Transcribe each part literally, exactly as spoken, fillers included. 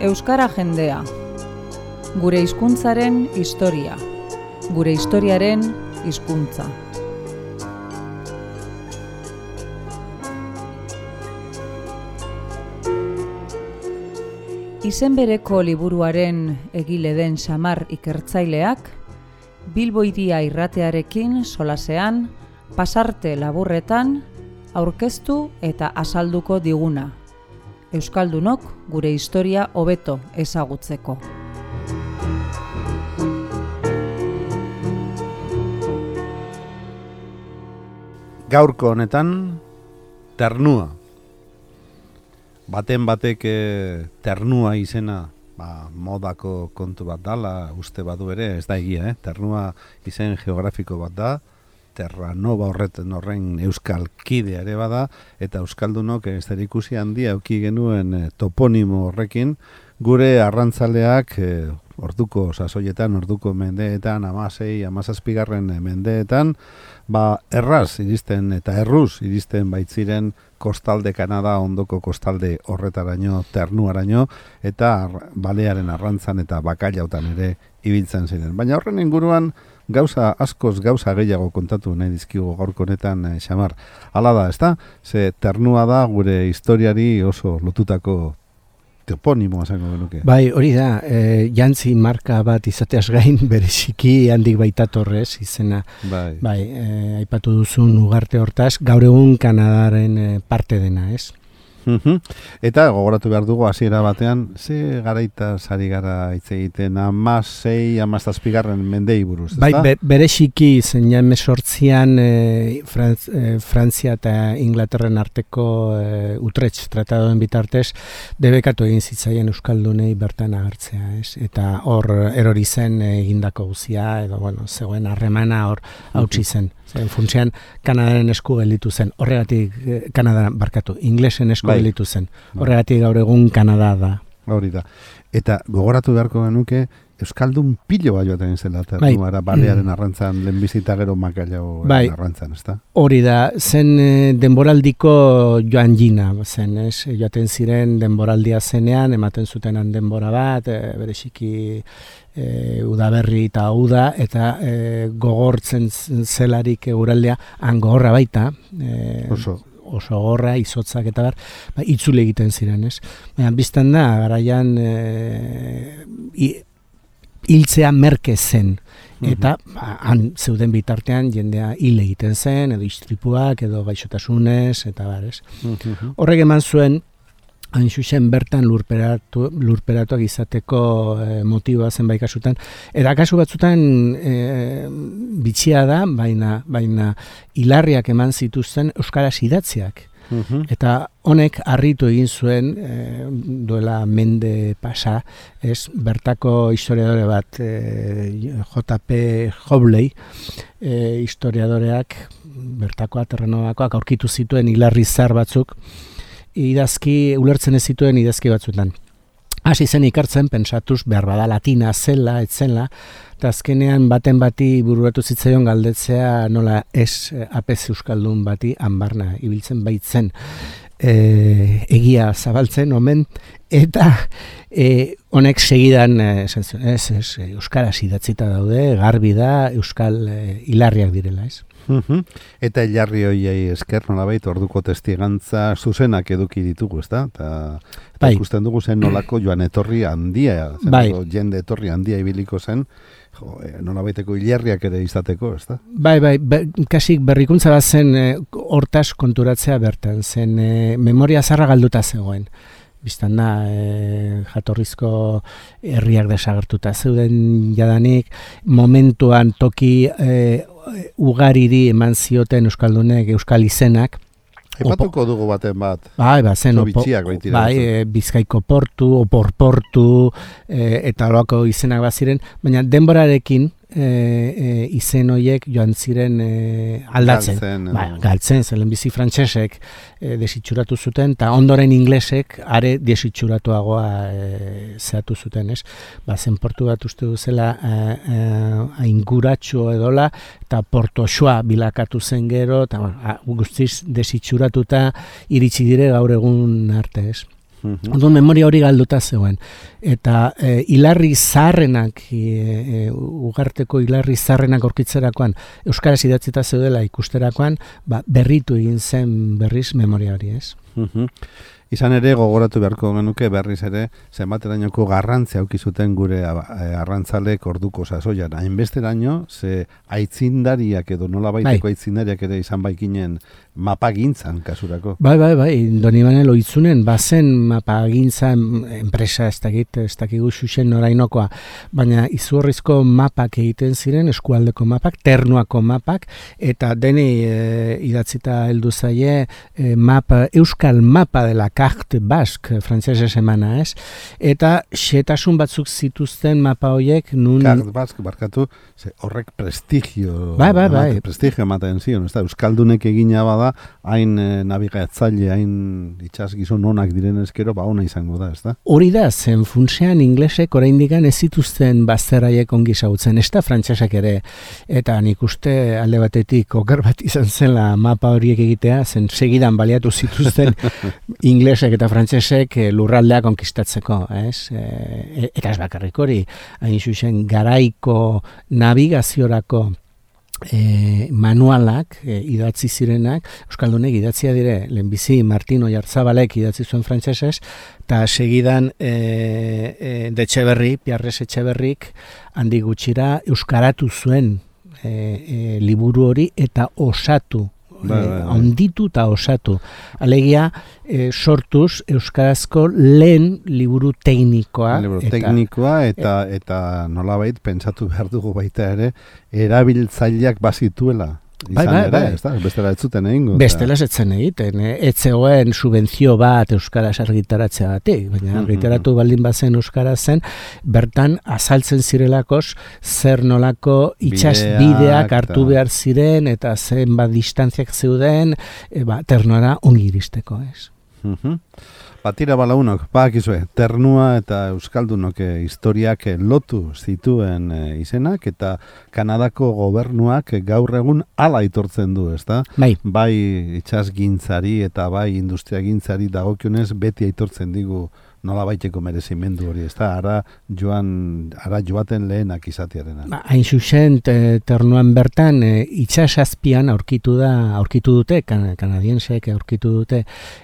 Euskara jendea. Gure hizkuntzaren historia. Gure historiaren hizkuntza. Izen bereko liburuaren egile den Xamar ikertzaileak, Bilbo Hiria irratearekin solasean, pasarte laburretan, aurkeztu eta azalduko diguna. Euskaldunok gure historia hobeto ezagutzeko. Gaurko honetan, ternua. Baten batek ternua izena ba, modako kontu bat dala, uste badu ere, ez da egia, eh? Ternua izen geografiko bat da, Terranova horreten horren euskal kidea ere bada, eta euskaldunok ez da ikusi handia euki genuen eh, toponimo horrekin, gure arrantzaleak eh, orduko sasoietan, orduko mendeetan, amasei, amazazpigarren mendeetan, ba, erraz iristen eta erruz iristen baitziren kostalde Kanada, ondoko kostalde horretaraino, ternuaraino, eta balearen arrantzan eta bakailautan ere ibiltzen ziren. Baina horren inguruan, gauza askoz gauza gehiago kontatu nahi dizkigu gaurko honetan, eh, Xamar. Hala da, ezta? Ze ternua da gure historiari oso lotutako toponimoa zango genuke. Bai, hori da, e, jantzi marka bat izateaz gain bereziki handik baitatorrez izena. Bai, bai e, aipatu duzun ugarte hortaz, gaur egun Kanadaren e, parte dena, ez? Uhum. Eta gogoratu behar dugu hasiera batean, ze garaita sari gara hitz egiten amasei, amazazpigarren mendei buruz, ezta? Bai, be, bereziki zen ja emesortzian e, Frantz, e, Frantzia eta Inglaterren arteko e, Utrecht tratadoen bitartez debekatu egin zitzaien euskaldunei bertan agertzea, ez? Eta hor erori zen egindako guzia, edo bueno, zegoen harremana hor hautsi zen. Zen funtsean Kanadaren esku gelditu zen. Horregatik Kanada barkatu, inglesen esku bai. gelditu zen. Horregatik gaur egun Kanada da. Hori da. Eta gogoratu beharko genuke euskaldun pilo bat joaten zela ternuara, bai. Balearen arrantzan, lehenbizita gero makailago bai. arrantzan, ezta? Hori da, zen e, denboraldiko joan jina zen, ez? Joaten ziren denboraldia zenean, ematen zutenan denbora bat, e, bereziki e, udaberri eta uda, eta e, gogortzen zelarik eguraldea, han gogorra baita, e, oso. oso gorra, izotzak eta bar, ba, itzule egiten ziren, ez? Baina, biztan da, garaian e, i, hiltzea merke zen, eta ba, han zeuden bitartean jendea hil egiten zen, edo istripuak, edo gaixotasunez, eta barez. Horrek eman zuen, hain zuzen bertan lurperatu, lurperatuak izateko e, motiboa zen bai kasutan, eta kasu batzutan e, bitxia da, baina, baina hilarriak eman zituzten euskaraz idatziak. Uhum. Eta honek harritu egin zuen e, duela mende pasa, ez bertako historiadore bat e, J P Hobley e, historiadoreak bertakoa Terranovakoak aurkitu zituen hilarri zar batzuk idazki ulertzen ez zituen idazki batzuetan. Hasi zen ikartzen, pentsatuz behar bada latina zela, etzela, eta azkenean baten bati bururatu zitzaion galdetzea nola ez apez euskaldun bati hanbarna ibiltzen baitzen e, egia zabaltzen omen, eta e, honek segidan e, ez, ez, euskaraz idatzita daude, garbi da, euskal e, hilarriak direla, ez? Uhum. Eta hilarri hoiei esker nolabait orduko testigantza zuzenak eduki ditugu, ezta? Eta bai. Ikusten dugu zen nolako joan etorri handia, zen bai. Jende etorri handia ibiliko zen, jo, nolabaiteko hilarriak ere izateko, ezta? Bai, bai, be, kasik berrikuntza bat zen e, hortaz konturatzea bertan, zen e, memoria zarra galduta zegoen. Bistan da, e, jatorrizko herriak desagertuta zeuden jadanik, momentuan toki e, ugariri eman zioten euskaldunek euskal izenak. Epatuko dugu baten bat. Bai, ba, zen, opo, bai, e, Bizkaiko portu, oporportu, e, eta horako izenak bat ziren, baina denborarekin e, e, izen horiek joan ziren e, aldatzen. Galtzen, ba, galtzen, zelen bizi frantsesek e, desitxuratu zuten, eta ondoren inglesek are desitxuratuagoa e, zehatu zuten, ez? Ba, zen portu bat uste duzela ainguratxo edola, eta portoxoa bilakatu zen gero, eta bueno, guztiz desitxuratuta iritsi dire gaur egun arte, ez? Mm-hmm. Orduan memoria hori galduta zegoen. Eta e, hilarri zaharrenak, e, e, ugarteko hilarri zaharrenak aurkitzerakoan, euskaraz idatzita zeudela ikusterakoan, ba, berritu egin zen berriz memoria hori, ez? Mm-hmm. Izan ere, gogoratu beharko genuke berriz ere, zenbaterainoko garrantzia auki zuten gure arrantzalek orduko sasoian. Hainbesteraino, ze aitzindariak edo nola baiteko bai. aitzindariak ere izan baikinen mapagintzan kasurako. Bai, bai, bai, Donibane Loitzunen, bazen mapagintzan enpresa ez dakit, ez dakigu xuxen norainokoa, baina izugarrizko mapak egiten ziren, eskualdeko mapak, ternuako mapak, eta deni e, idatzita heldu zaie e, mapa, euskal mapa dela carte basque, frantsesez emana, ez? Eta xetasun batzuk zituzten mapa horiek nun... Carte basque, barkatu, ze horrek prestigio... Bai, bai, bai. Emate, prestigio ematen zion, ez da, euskaldunek egina bada, hain e, nabigatzaile, hain itxas gizon onak diren ezkero, ba ona izango da, ez da? Hori da, zen funtsean inglesek oraindikan ez zituzten bazterraiek ongi zautzen, ez da frantsesak ere, eta nik uste alde batetik oker bat izan zela mapa horiek egitea, zen segidan baliatu zituzten inglesek eta frantsesek lurraldea konkistatzeko, ez? E, eta ez bakarrik hori, hain zuzen garaiko nabigaziorako E, manualak e, idatzi zirenak, euskaldunek idatzia dire, lehenbizi Martin Oyarzabalek idatzi zuen frantsesez, eta segidan e, e, de Etxeberri, Piarres Etxeberrik, handi gutxira euskaratu zuen e, e, liburu hori eta osatu, bai, bai, bai. onditu eta osatu. Alegia, e, sortuz euskarazko lehen liburu teknikoa. Liburu eta, teknikoa eta, e, eta nolabait pentsatu behar dugu baita ere, erabiltzaileak bazituela. Izan bai, bai, ere, bai. Ez da, bestela ez zuten egingo. Bestela ez zen egiten, eh? Ez zegoen subentzio bat euskaraz argitaratzea batik, baina argitaratu baldin bazen euskaraz zen, bertan azaltzen zirelakos zer nolako itxas bideak hartu behar ziren eta zen bat distantziak zeuden, e, ba, ternora ongi iristeko, ez? Uh-huh. Batira balaunok, bakizue, ternua eta euskaldunok historiak lotu zituen izenak eta Kanadako gobernuak gaur egun hala aitortzen du, ezta? Bai. Bai itsasgintzari eta bai industriagintzari dagokionez beti aitortzen digu nola baiteko merezimendu hori, ezta? Ara joan, ara joaten lehenak izatearena. Ba, hain zuzen, te, ternuan bertan, e, itsasazpian aurkitu da, aurkitu dute, kan, kanadiensek aurkitu dute,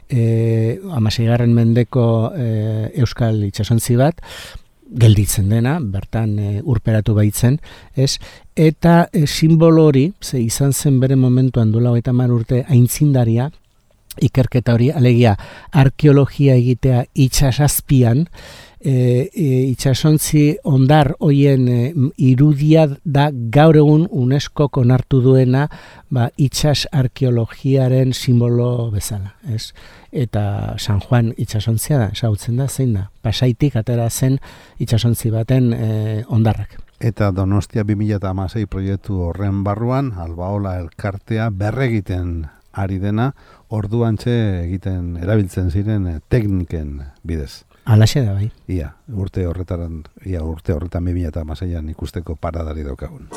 e, hamaseigarren mendeko e, euskal itsasontzi bat, gelditzen dena, bertan e, urperatu baitzen, ez? Eta e, simbolo hori, ze izan zen bere momentuan duela hogeita hamar urte aintzindaria, ikerketa hori, alegia arkeologia egitea itsasazpian, e, e, itsasontzi ondar hoien e, irudia da gaur egun UNESCO onartu duena ba, itsas arkeologiaren simbolo bezala, ez? Eta San Juan itsasontzia da, ezagutzen da, zein da, Pasaitik atera zen itsasontzi baten e, ondarrak. Eta Donostia bi mila hamasei proiektu horren barruan, Albaola elkartea berregiten ari dena, orduantxe egiten erabiltzen ziren tekniken bidez. Alaxe da bai. Ia, urte horretaran, ia urte horretan bi mila hamaseian ikusteko paradari daukagun.